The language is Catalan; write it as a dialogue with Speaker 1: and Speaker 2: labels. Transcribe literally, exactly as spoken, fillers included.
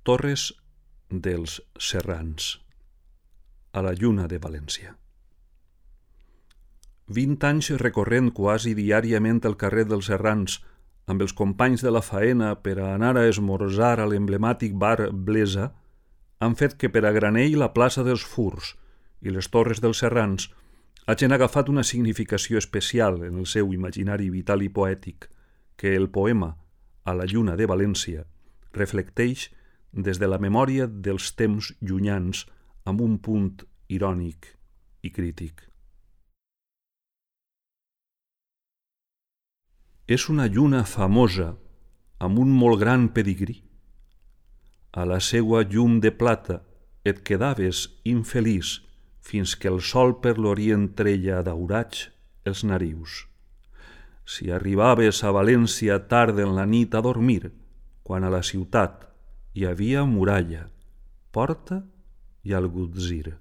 Speaker 1: Torres dels Serrans, a la Lluna de València. Vint anys recorrent quasi diàriament el carrer dels Serrans amb els companys de la faena per a anar a esmorzar a l'emblemàtic bar Blesa han fet que per a Granell la plaça dels Furs i les Torres dels Serrans hagin agafat una significació especial en el seu imaginari vital i poètic que el poema A la Lluna de València reflecteix des de la memòria dels temps llunyans amb un punt irònic i crític. És una lluna famosa amb un molt gran pedigrí. A la seua llum de plata et quedaves infeliç fins que el sol per l'orient treia daurats els narius. Si arribaves a València tard en la nit a dormir, quan a la ciutat hi havia muralla, porta i algutzir.